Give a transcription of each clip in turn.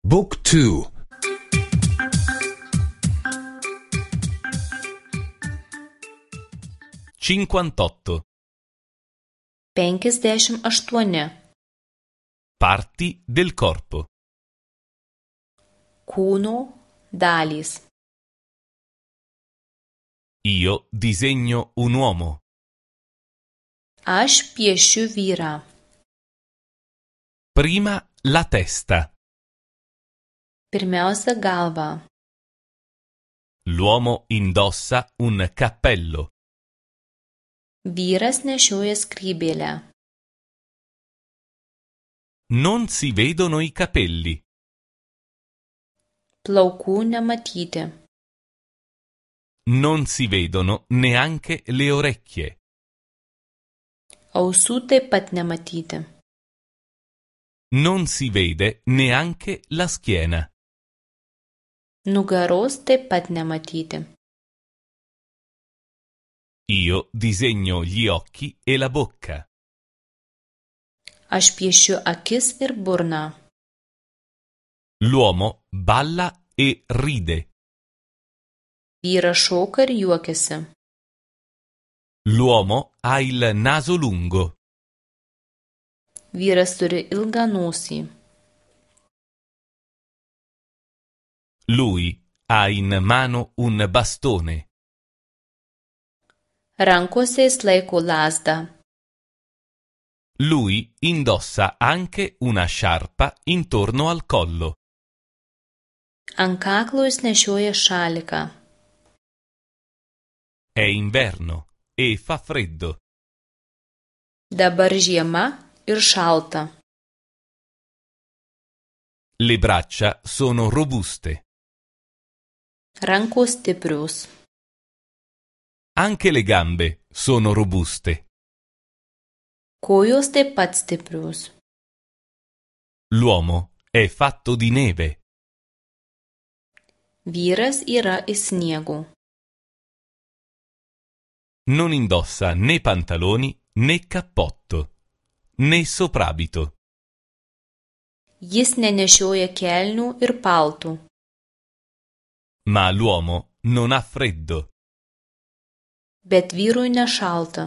Book 2. 58. 58. Parti del corpo. Kūno dalys. Io disegno un uomo. Aš piešiu vyrą. Prima la testa. Pirmiausia galva. L'uomo indossa un cappello. Vyras nešioja skrybėlę. Non si vedono i capelli. Plaukų nematyti. Non si vedono neanche le orecchie. Ausų taip pat nematyti. Non si vede neanche la schiena. Nugaros taip pat nematyti. Io disegno gli occhi e la bocca. Aš piešiu akis ir burną. L'uomo balla e ride. Vyras šoka ir juokiasi. L'uomo ha il naso lungo. Vyras turi ilgą nosį. Lui ha in mano un bastone. Rankose jis laiko lazdą. Lui indossa anche una sciarpa intorno al collo. Ant kaklo jis nešioja šaliką. È inverno e fa freddo. Dabar žiema ir šalta. Le braccia sono robuste. Rankos stiprios. Anche le gambe sono robuste. Kojos taip pat stiprios. L'uomo è fatto di neve. Vyras yra iš sniego. Non indossa né pantaloni né cappotto, né soprabito. Jis nenešioja kelnių ir paltų. Ma l'uomo non ha freddo. Bet vyrui nešalta.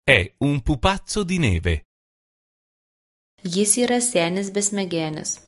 È un pupazzo di neve. Jis yra senis besmegenis.